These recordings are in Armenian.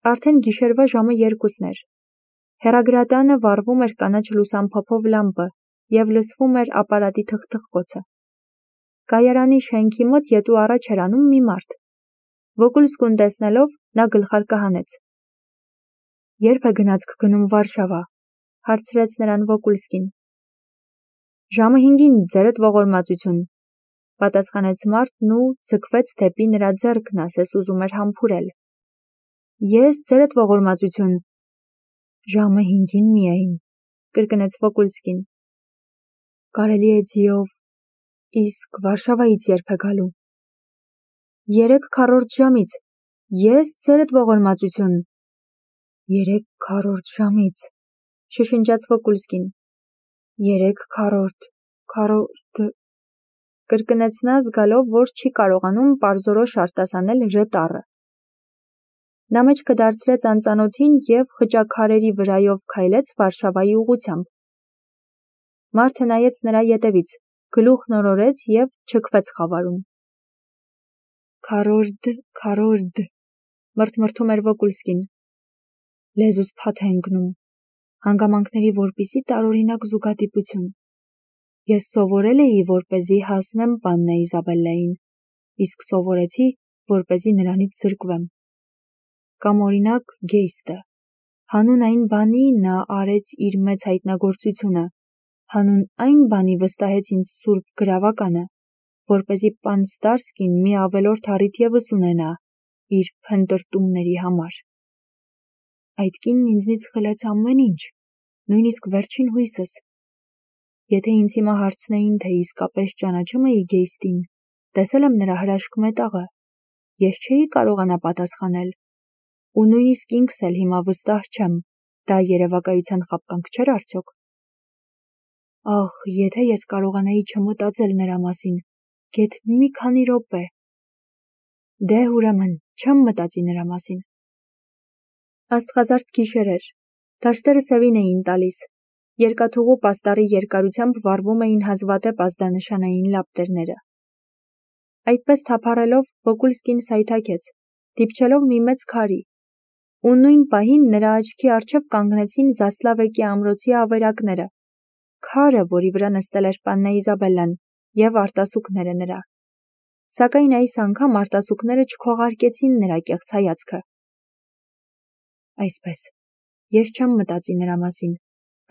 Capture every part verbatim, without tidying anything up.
Արդեն գիշերվա ժամը երկուսն էր։ Հեռագրատանը վառվում էր կանաչ լուսամփոփով լամպը և լսվում էր ապարատի թխթխկոցը։ Կայարանի շենքի մոտ ետու առաջ էր անում մի մարդ։ Վոկուլսկուն տեսնելով նա գլխարկը հանեց։ Երբ է գնացք գնում Վարշավա, հարցրեց նրան Վոկուլսկին։ Ժամը հինգին, ձերդ ողորմածություն, պատասխանեց մարդն ու ձգվեց դեպի նրա ձեռքն, ասես ուզում էր համբուրել։ Ես ձերդ ողորմածություն։ Ժամը հինգին միայն, կրկնեց Վոկուլսկին։ Կարելի է ձիով, իսկ Վարշավայից երբ է գալու։ Երեք քառորդ ժամից, ես ձերդ ողորմածություն։ Երեք քառորդ ժամից, շշնջաց Վոկուլսկին։ Երեք քառորդ, քառորդ, կրկնեց նա զգալով, որ չի կարողանում պարզորոշ արտասանել «ռ» տառը։ Նա մեջքը դարձրեց անծանոթին և խճաքարերի վրայով քայլեց Վարշավայի ուղղությամբ։ Մարդը նայեց նրա ետևից, գլուխն օրորեց և չքվեց խավարում։ Քառորդ, քառորդ, մրթմրթում էր Վոկուլսկին։ Լեզուս փաթ է ընկնում, հանգամանքների որպիսի տարօրինակ զուգադիպություն։ Ես սովորել էի, որպեսզի հասնեմ պաննա Իզաբելլային, իսկ սովորեցի, որպեսզի նրանից զրկվեմ։ Կամ օրինակ Գեյստը, հանուն այն բանի նա արեց իր մեծ հայտնագործությունը, հանուն այն բանի վստահեց ինձ սուրբ գրավականը, որպեսզի պան Ստարսկին մի ավելորդ առիթ ևս ունենա իր փնտրտումների համար։ Այդ կինն ինձնից խլեց ամեն ինչ, նույնիսկ վերջին հույսս։ Եթե ինձ հիմա հարցնեին, թե իսկապես ճանաչում էի Գեյստին, տեսել եմ նրա հրաշք մետաղը, ես չէի կարողանա պատասխանել, ու նույնիսկ ինքս էլ հիմա վստահ չեմ, դա երևակայության խաբկանք չէր արդյոք։ Ախ, եթե ես կարողանայի չմտածել նրա մասին, գեթ մի քանի րոպե։ Դե ուրեմն, չեմ մտածի նրա մասին։ Աստղազարդ գիշեր էր, դաշտերը սևին էին տալիս, երկաթուղու պաստառի երկարությամբ վառվում էին հազվադեպ ազդանշանային լապտերները։ Այդպես թափառելով Վոկուլսկին սայթաքեց, դիպչելով մի մեծ քարի, ու նույն պահին նրա աչքի առջև կանգնեցին Զասլավեկի ամրոցի ավերակները, քարը, որի վրա նստել էր պաննա Իզաբելլան, և արտասուքները նրա։ Սակայն այս անգամ արտասուքները չքողարկեցին նրա կեղծ հայացքը։ Այսպես, ես չեմ մտածի նրա մասին,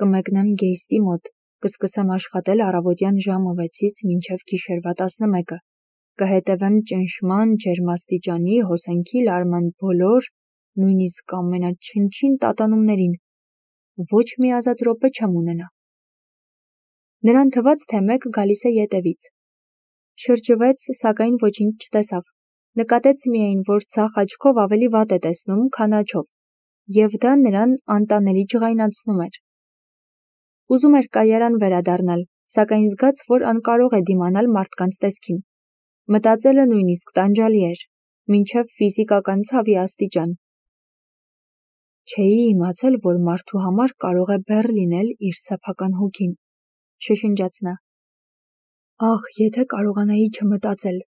կմեկնեմ Գեյստի մոտ, կսկսեմ աշխատել առավոտյան ժամը վեցից մինչև գիշերվա տասնմեկը, կհետևեմ ճնշման, ջերմաստիճանի, հոսանքի լարման բոլոր, նույնիսկ ամենաչնչին տատանումներին, ոչ մի ազատ րոպե չեմ ունենա։ Նրան թվաց, թե մեկը գալիս է ետևից։ Շրջվեց, սակայն ոչինչ չտեսավ, նկատեց միայն, որ ձախ աչքով ավելի վատ է տեսնում, քան աջով, և դա նրան անտանելի ջղայնացնում էր։ Ուզում էր կայարան վերադառնալ, սակայն զգաց, որ անկարող է դիմանալ մարդկանց տեսքին։ Մտածելը նույնիսկ տանջալի էր, մինչև ֆիզիկական ցավի աստիճան։ Չէի իմացել, որ մարդու համար կարող է բեռ լինել իր սեփական հոգին, շշնջաց նա։ Ախ, եթե կարողանայի չմտածել։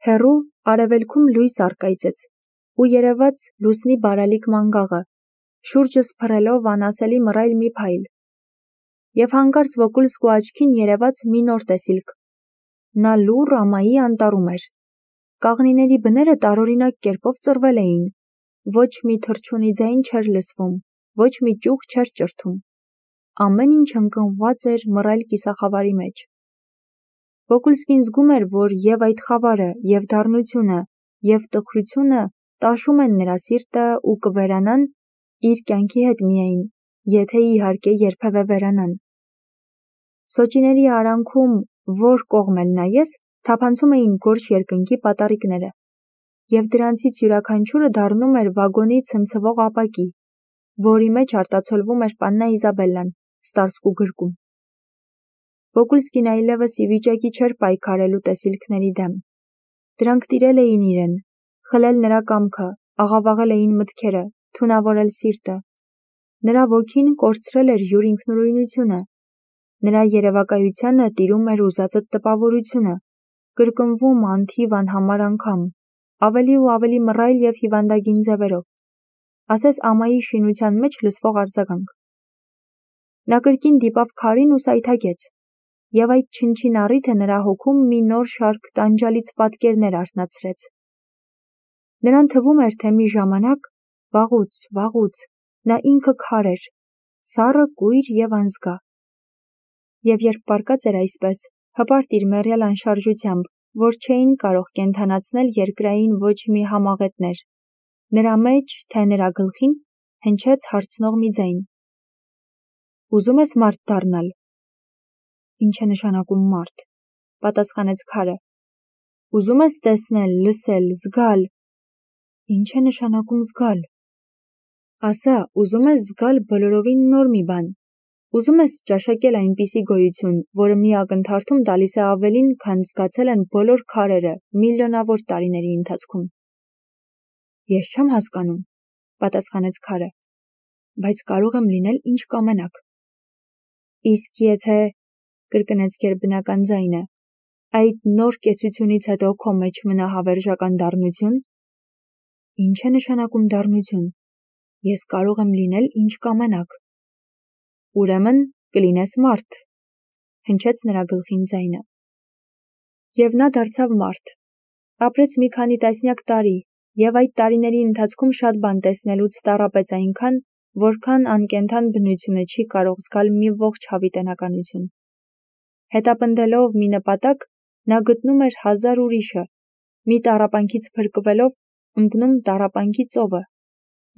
Հեռու արևելքում լույս առկայծեց, ու երևաց լուսնի բարալիկ մանգաղը, շուրջս փռելով անասելի մռայլ մի փայլ։ Եվ հանկարծ Վոկուլսկու աչքին երևաց մի նոր տեսիլք։ Նա լուռ ամայի անտառում էր։ Կաղնիների բները տարօրինակ կերպով ծռվել էին, ոչ մի թռչունի ձայն չէր լսվում, ոչ մի ճյուղ չէր ճրթում։ Ամեն ինչ ընկղմված էր մռայլ կիսախավարի մեջ։ Վոկուլսկին զգում էր, որ և այդ խավարը, և դառնությունը, և տխրությունը տաշում են նրա սիրտը ու կվերանան իր կյանքի հետ միայն, եթե իհարկե երբևէ վերանան։ Սոճիների արանքում, որ կողմ էլ նայես, թափանցում էին գորշ երկնքի պատառիկները, և դրանցից յուրաքանչյուրը դառնում էր վագոնի ցնցվող ապակի, որի մեջ արտացոլվում էր պաննա Իզաբելլան, Ստարսկու գրկում։ Վոկուլսկին այլևս ի վիճակի չէր պայքարելու տեսիլքների դեմ։ Դրանք տիրել էին իրեն, խլել նրա կամքը, աղավաղել էին մտքերը, թունավորել սիրտը։ Նրա ոգին կորցրել էր յուր ինքնուրույնությունը, նրա երևակայությանը տիրում էր ուզածդ տպավորությունը, կրկնվում անթիվ անհամար անգամ, ավելի ու ավելի մռայլ և հիվանդագին ձևերով։ ասես ամայի շինության մեջ լսվող արձագանք։ Նա կրկին դիպավ քարին ու սայթաքեց, և այդ չնչին առիթը նրա հոգում մի նոր շարք տանջալից պատկերներ արթնացրեց։ Նրան թվում էր, թե մի ժամանակ, վաղուց, վաղուց, նա ինքը քար էր, սառը, կույր և անզգա։ Եվ երբ պառկած էր այսպես, հպարտ իր մեռյալ անշարժությամբ, որ չէին կարող կենդանացնել երկրային ոչ մի համաղետներ, նրա մեջ, թե նրա գլխին, հնչեց հարցնող մի ձայն. «Ուզում ես մարդ դառնալ»։ «Ինչ է նշանակում մարդ», պատասխանեց քարը։ «Ուզում ես տեսնել, լսել, զգալ»։ «Ինչ է նշանակում զգալ»։ «Ասա, ուզում ես զգալ բոլորովին նոր մի բան, ուզում ես ճաշակել այնպիսի գոյություն, որը մի ակնթարթում տալիս է ավելին, քան զգացել են բոլոր քարերը միլիոնավոր տարիների ընթացքում»։ «Ես չեմ հասկանում», պատասխանեց քարը, «բայց կարող եմ լինել ինչ կամենաք»։ «Իսկ եթե», կրկնեց գերբնական ձայնը, «այդ նոր կեցությունից հետո քո մեջ մնա հավերժական դառնություն»։ «Ինչ է նշանակում դառնություն։ Ես կարող եմ լինել ինչ կամենաք»։ «Ուրեմն կլինես մարդ», հնչեց նրա գլխին ձայնը։ Եվ նա դարձավ մարդ։ Ապրեց մի քանի տասնյակ տարի, և այդ տարիների ընթացքում շատ բան տեսնելուց տառապեց այնքան, որքան անկենդան բնությունը չի կարող զգալ մի ողջ հավիտենականություն։ Հետապնդելով մի նպատակ, նա գտնում էր հազար ուրիշը, մի տառապանքից փրկվելով ընկնում տառապանքի ծովը,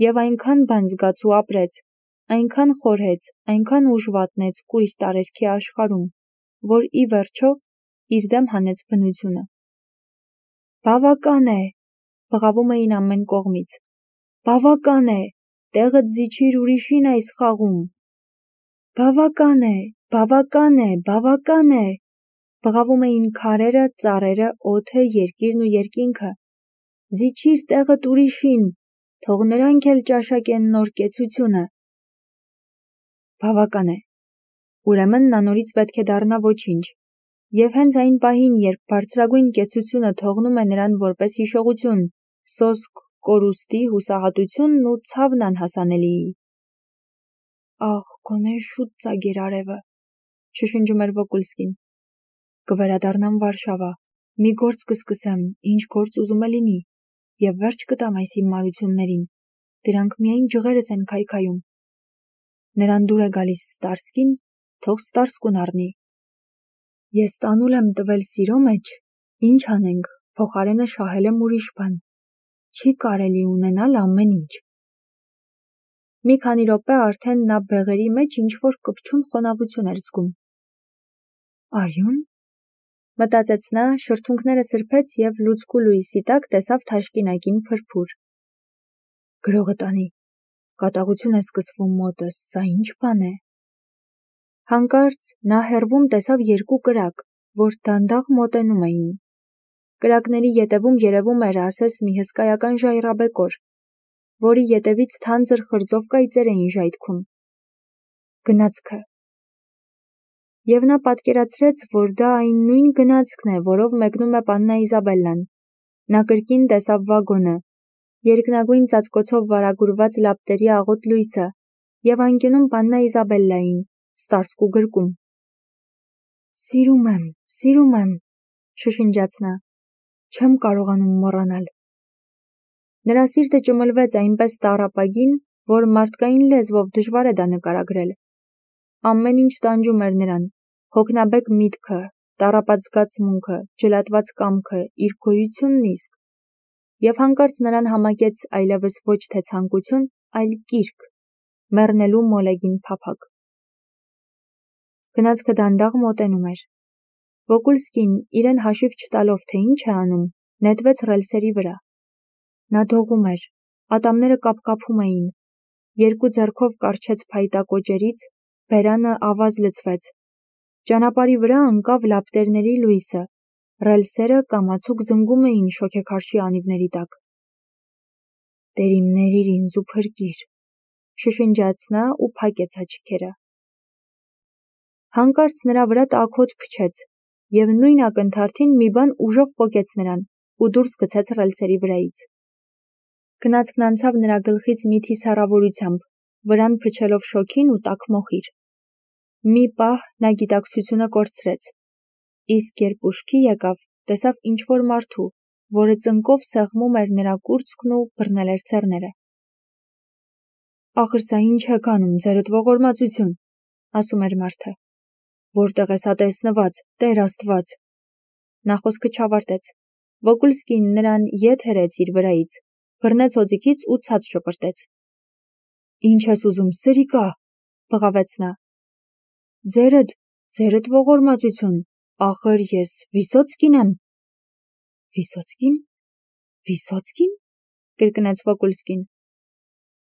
և այնքան բան զգաց ու ապրեց, այնքան խորհեց, այնքան ուժ վատնեց կույր տարերքի աշխարհում, որ ի վերջո իր դեմ հանեց բնությունը։ «Բավական է», բղավում էին ամեն կողմից։ «Բավական է, տեղդ զիջիր ուրիշին այս խաղում»։ «Բավական է, բավական է, բավական է», բղավում էին քարերը, ծառերը, օդը, երկիրն ու երկինքը։ «Զիջիր տեղդ ուրիշին, թող նրանք էլ ճաշակեն նոր կեցությունը»։ Բավական է։ Ուրեմն նա նորից պետք է դառնա ոչինչ, և հենց այն պահին, երբ բարձրագույն կեցությունը թողնում է նրան որպես հիշողություն, սոսկ, կորուստի, հուսահատությունն ու ցավն անհասանելիի։ «Ախ, գոնե շուտ ծագեր արևը», շշնջում էր Վոկուլսկին։ «Կվերադառնամ Վարշավա, մի գործ կսկսեմ, ինչ գործ ուզում է լինի, և վերջ կտամ այս իմ մարություններին, դրանք միայն ջղերս են քայքայում»։ Նրան դուր է գալիս Ստարսկին, թող Ստարսկուն առնի։ Ես տանուլ եմ տվել սիրո մեջ, ինչ անենք, փոխարենը շահել եմ ուրիշ բան։ Չի կարելի ունենալ ամեն ինչ։ Մի քանի րոպե արդեն նա բեղերի մեջ ինչ-որ կպչուն խոնավություն էր զգում։ «Արյո՞ւն», մտածեց նա, շրթունքները սրբեց և լուցկու լույսի տակ տեսավ թաշկինակին փրփուր։ «Գրողը տանի, կատաղություն է սկսվում մոտս, սա ինչ բան է»։ Հանկարծ նա հեռվում տեսավ երկու կրակ, որ դանդաղ մոտենում էին։ Կրակների ետևում երևում էր ասես մի հսկայական ժայռաբեկոր, որի ետևից թանձր խրձով կայծեր էին ժայթքում։ Գնացքը։ Եվ նա պատկերացրեց, որ դա այն նույն գնացքն է, որով մեկնում է պաննա Իզաբելլան։ Նա կրկին տեսավ վագոնը, երկնագույն ծածկոցով վարագուրված լապտերի աղոտ լույսը, և անկյունում պաննա Իզաբելլային, Ստարսկու գրկում։ «Սիրում եմ, սիրում եմ», շշնջաց նա, «չեմ կարողանում մոռանալ»։ Նրա սիրտը ճմլվեց այնպես տառապագին, որ մարդկային լեզվով դժվար է դա նկարագրել։ Ամեն ինչ տանջում էր նրան՝ հոգնաբեկ միտքը, տառապած զգացմունքը, ջլատված կամքը, իր գոյությունն իսկ։ Եվ հանկարծ նրան համակեց այլևս ոչ թե ցանկություն, այլ կիրք, մեռնելու մոլեգին փափագ։ Գնացքը դանդաղ մոտենում էր։ Վոկուլսկին, իրեն հաշիվ չտալով, թե ինչ է անում, նետվեց ռելսերի վրա։ Նա դողում էր, ատամները կապկապում էին, երկու ձեռքով կառչեց փայտա կոճերից, բերանը ավազ լցվեց։ Ճանապարհի վրա ընկավ լապտերների լույսը, ռելսերը կամացուկ զնգում էին շոգեքարշի անիվների տակ։ «Տեր իմ ներիր ինձ ու փրկիր», շշնջաց նա ու փակեց աչքերը։ Հանկարծ նրա վրա տաքոտ փչեց, և նույն ակնթարթին մի բան ուժով պոկեց նրան ու դուրս գցեց ռելսերի վրայից։ Գնացքն անցավ նրա գլխից մի թիսառավորությամբ, վրան փչելով շոգին ու տաք մոխիր։ Մի պահ նա գիտակցությունը կորցրեց, իսկ երբ ուշքի եկավ, տեսավ ինչ-որ մարդու, որը ծնկով սեղմում էր նրա կուրծքն ու բռնել էր ցեռները։ «Ախր սա ինչ եք անում, ձերդ ողորմածություն», ասում էր մարդը։ «Որտեղ է սա տեսնված, Տեր Աստված»։ Նա խոսքը չավարտեց։ Վոկուլսկին նրան ետ հրեց իր վրայից, բռնեց օձիքից ու ցած շպրտեց։ «Ինչ ես ուզում, սրիկա», բղավեց նա։ «Ձերդ, ձերդ ողորմածություն, ախր ես Վիսոցկին եմ»։ «Վիսոցկին, Վիսոցկին», կրկնեց Վոկուլսկին։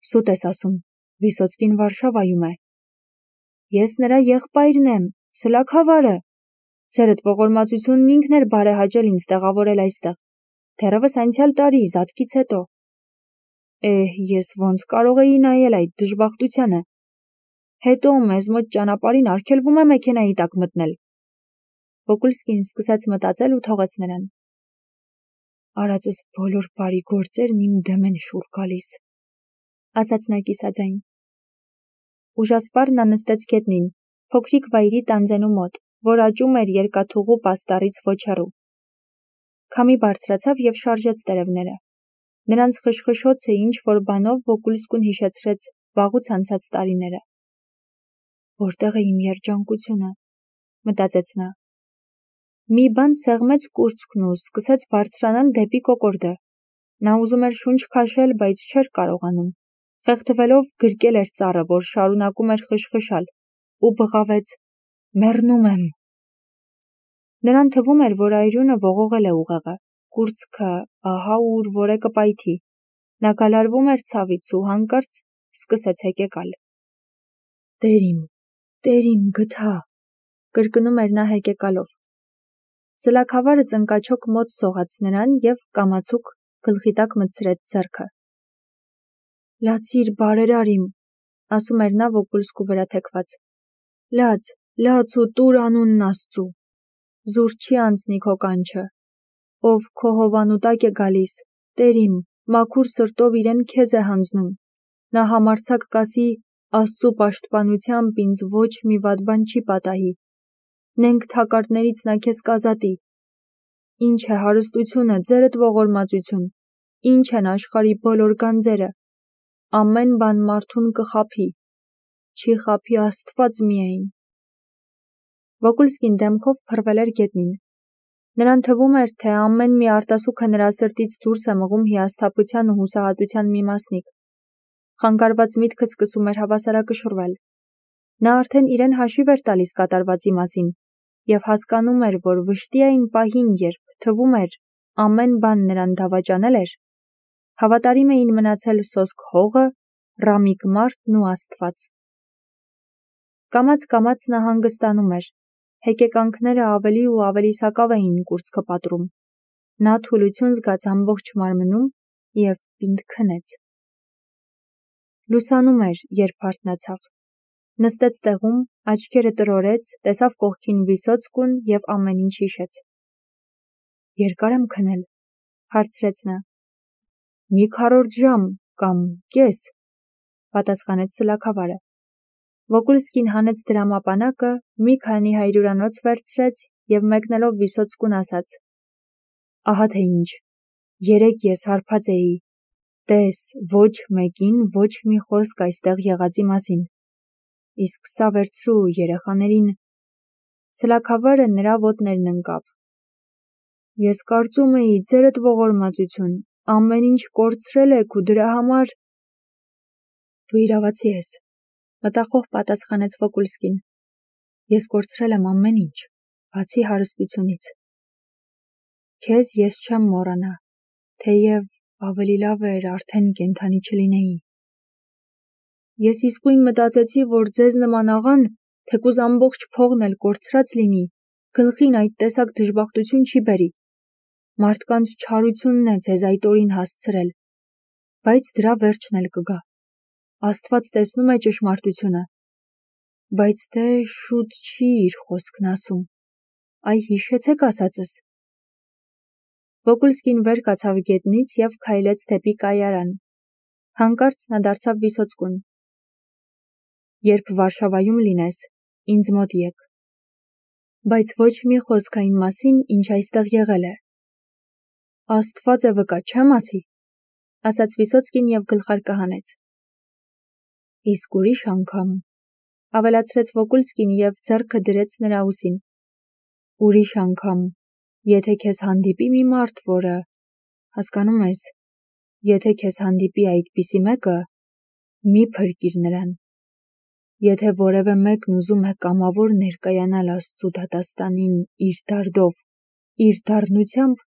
«Սուտ ես ասում, Վիսոցկին Վարշավայում է»։ «Ես նրա եղբայրն եմ, Սլաքավարը։ Ձերդ ողորմածությունն ինքն էր բարեհաճել ինձ տեղավորել այստեղ, դեռևս անցյալ տարի, զատկից հետո։ Էհ, ես ոնց կարող էի նայել այդ դժբախտությանը։ Հետո մեզ մոտ ճանապարհին արգելվում է մեքենայի տակ մտնել»։ Վոկուլսկին սկսեց մտածել ու թողեց նրան։ «Արածս բոլոր բարի գործերն իմ դեմ են շուռ գալիս», ասաց նա կիսաձայն։ Ուժասպառ նա նստեց գետնին, փոքրիկ վայրի տանձենու մոտ, որ աճում էր երկաթուղու պաստառից ոչ հեռու։ Քամի բարձրացավ և շարժեց տերևները։ Նրանց խշխշոցը ինչ-որ բանով Վոկուլսկուն հիշեցրեց վաղուց անցած տարիները։ «Որտեղ է իմ երջանկությունը», մտածեց նա։ Մի բան սեղմեց կուրծքն ու սկսեց բարձրանալ դեպի կոկորդը։ Նա ուզում էր շունչ քաշել, բայց չէր կարողանում։ Խեղդվելով գրկել էր ծառը, որ շարունակում էր խշխշալ, ու բղավեց. «Մեռնում եմ»։ Նրան թվում էր, որ այրունը ողողել է ուղեղը, կուրծքը ահա ուր որ է կպայթի։ Նա գալարվում էր ցավից ու հանկարծ սկսեց հեկեկալ։ «Տեր իմ, Տեր իմ, գթա», կրկնում էր նա հեկեկալով։ Սլաքավարը ծնկաչոք մոտ սողաց նրան և կամացուկ գլխի տակ մտցրեց ձեռքը։ «Լացիր, բարերար իմ», ասում էր նա Վոկուլսկու վրա թեքված։ «Լաց, լաց ու տուր անունն Աստծու։ Զուր չի անցնի քո կանչը։ Ով քո հովանու տակ է գալիս, Տեր իմ, մաքուր սրտով իրեն քեզ է հանձնում։ Նա համարձակ կասի, Աստծու պաշտպանությամբ ինձ ոչ մի վատ բան չի պատահի։ Նենգ թակարդներից նա քեզ կազատի։ Ինչ է հարստությունը, ձերդ ողորմածություն, ինչ են աշխարհի բոլոր գանձերը։ Ամեն բան մարդուն կխաբի, չի խաբի Աստված միայն»։ Վոկուլսկին դեմքով փռվել էր գետնին։ Նրան թվում էր, թե ամեն մի արտասուքը նրա սրտից դուրս է մղում հիասթափության ու հուսահատության մի մասնիկ։ Խանգարված միտքը սկսում էր հավասարակշռվել։ Նա արդեն իրեն հաշիվ էր տալիս կատարվածի մասին և հասկանում էր, որ վշտի այն պահին, երբ թվում էր ամեն բան նրան դավաճանել էր, հավատարիմ էին մնացել սոսկ հողը, ռամիկ մարդն ու Աստված։ Կամաց-կամաց նա հանգստանում էր։ Հեկեկանքները ավելի ու ավելի սակավ էին կուրծքը պատռում։ Նա թուլություն զգաց ամբողջ մարմնում և պինդ քնեց։ Լուսանում էր, երբ արթնացավ։ Նստեց տեղում, աչքերը տրորեց, տեսավ կողքին Վիսոցկուն և ամեն ինչ հիշեց։ «Երկա՞ր եմ քնել», հարցրեց նա։ «Մի քառորդ ժամ կամ կես», պատասխանեց Սլաքավարը։ Վոկուլսկին հանեց դրամապանակը, մի քանի հայրուրանոց վերցրեց և մեկնելով Վիսոցկուն ասաց. «Ահա թե ինչ, երեկ ես հարբած էի, տես, ոչ մեկին ոչ մի խոսք այստեղ եղածի մասին, իսկ սա վերցրու երեխաներին»։ Սլաքավարը նրա ոտներն ընկավ։ «Ես կարծում էի, ձերդ ողորմածություն, ամեն ինչ կորցրել եք ու դրա համար»։ «Դու իրավացի ես», մտախոհ պատասխանեց Վոկուլսկին։ «Ես կորցրել եմ ամեն ինչ, բացի հարստությունից։ Քեզ ես չեմ մոռանա, թեև ավելի լավ էր արդեն կենդանի չլինեի։ Ես իսկույն մտածեցի, որ ձեզ նման աղան, թեկուզ ամբողջ փողն էլ կորցրած լինի, գլխին այդ տեսակ դժբախտություն չի բերի։ Մարդկանց չարությունն է ձեզ այդ օրին հասցրել, բայց դրա վերջն էլ կգա։ Աստված տեսնում է ճշմարտությունը, բայց դե շուտ չի իր խոսքն ասում։ Այ հիշեցեք ասածս»։ Վոկուլսկին վեր կացավ գետնից և քայլեց դեպի կայարան։ Հանկարծ նա դարձավ Վիսոցկուն. «Երբ Վարշավայում լինես, ինձ մոտ եկ, բայց ոչ մի խոսք այն մասին, ինչ այստեղ եղել է»։ «Աստված է վկա, չեմ ասի», ասաց Վիսոցկին և գլխարկը հանեց։ «Իսկ ուրիշ անգամ», ավելացրեց Վոկուլսկին և ձեռքը դրեց նրա ուսին, «ուրիշ անգամ, եթե քեզ հանդիպի մի մարդ, որը, հասկանում ես, եթե քեզ հանդիպի այդպիսի մեկը, մի փրկիր նրան։ Եթե որևէ մեկն ուզում է կամավոր ներկայանալ Աստծու դատաստանին իր դարդով, իր դառնությամբ,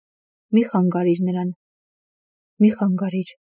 մի խանգարիր նրան, մի խանգարիր»։